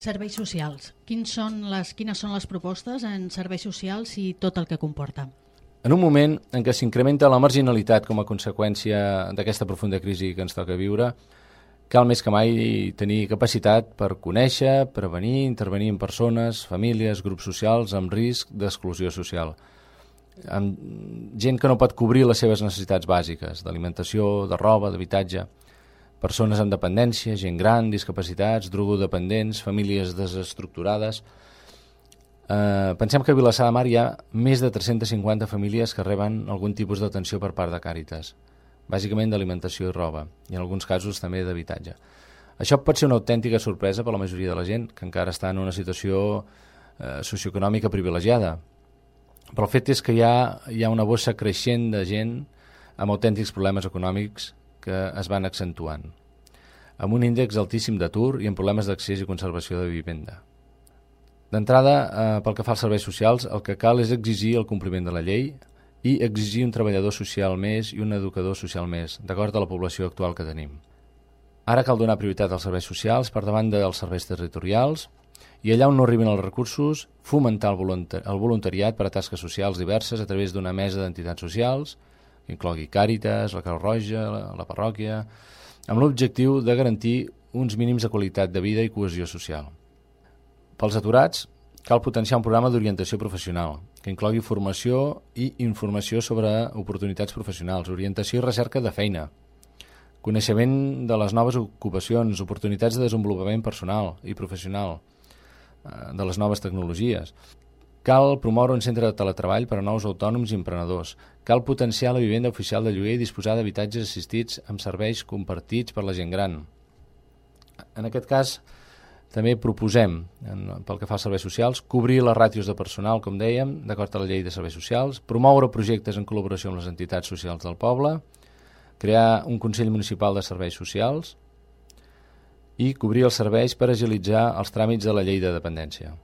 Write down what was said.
Serveis socials. Quines són les propostes en serveis socials i tot el que comporta? En un moment en què s'incrementa la marginalitat com a conseqüència d'aquesta profunda crisi que ens toca viure, cal més que mai tenir capacitat per conèixer, prevenir, intervenir en persones, famílies, grups socials amb risc d'exclusió social. Amb gent que no pot cobrir les seves necessitats bàsiques, d'alimentació, de roba, d'habitatge, persones amb dependència, gent gran, discapacitats, drogodependents, famílies desestructurades. Pensem que a Vilassar de Mar hi ha més de 350 famílies que reben algun tipus d'atenció per part de Càritas, bàsicament d'alimentació i roba, i en alguns casos també d'habitatge. Això pot ser una autèntica sorpresa per a la majoria de la gent, que encara està en una situació socioeconòmica privilegiada. Però el fet és que hi ha una bossa creixent de gent amb autèntics problemes econòmics que es van accentuant, amb un índex altíssim d'atur i amb problemes d'accés i conservació de vivenda. D'entrada, pel que fa als serveis socials, el que cal és exigir el compliment de la llei i exigir un treballador social més i un educador social més, d'acord a la població actual que tenim. Ara cal donar prioritat als serveis socials per davant dels serveis territorials i allà on no arriben els recursos, fomentar el voluntariat per a tasques socials diverses a través d'una mesa d'entitats socials, que inclogui Càritas, la Creu Roja, la parròquia, amb l'objectiu de garantir uns mínims de qualitat de vida i cohesió social. Pels aturats, cal potenciar un programa d'orientació professional, que inclogui formació i informació sobre oportunitats professionals, orientació i recerca de feina, coneixement de les noves ocupacions, oportunitats de desenvolupament personal i professional, de les noves tecnologies. Cal promoure un centre de teletreball per a nous autònoms i emprenedors. Cal potenciar la vivenda oficial de lloguer i disposar d'habitatges assistits amb serveis compartits per la gent gran. En aquest cas, també proposem, pel que fa als serveis socials, cobrir les ràtios de personal, com dèiem, d'acord a la llei de serveis socials, promoure projectes en col·laboració amb les entitats socials del poble, crear un Consell Municipal de Serveis Socials i cobrir els serveis per agilitzar els tràmits de la llei de dependència.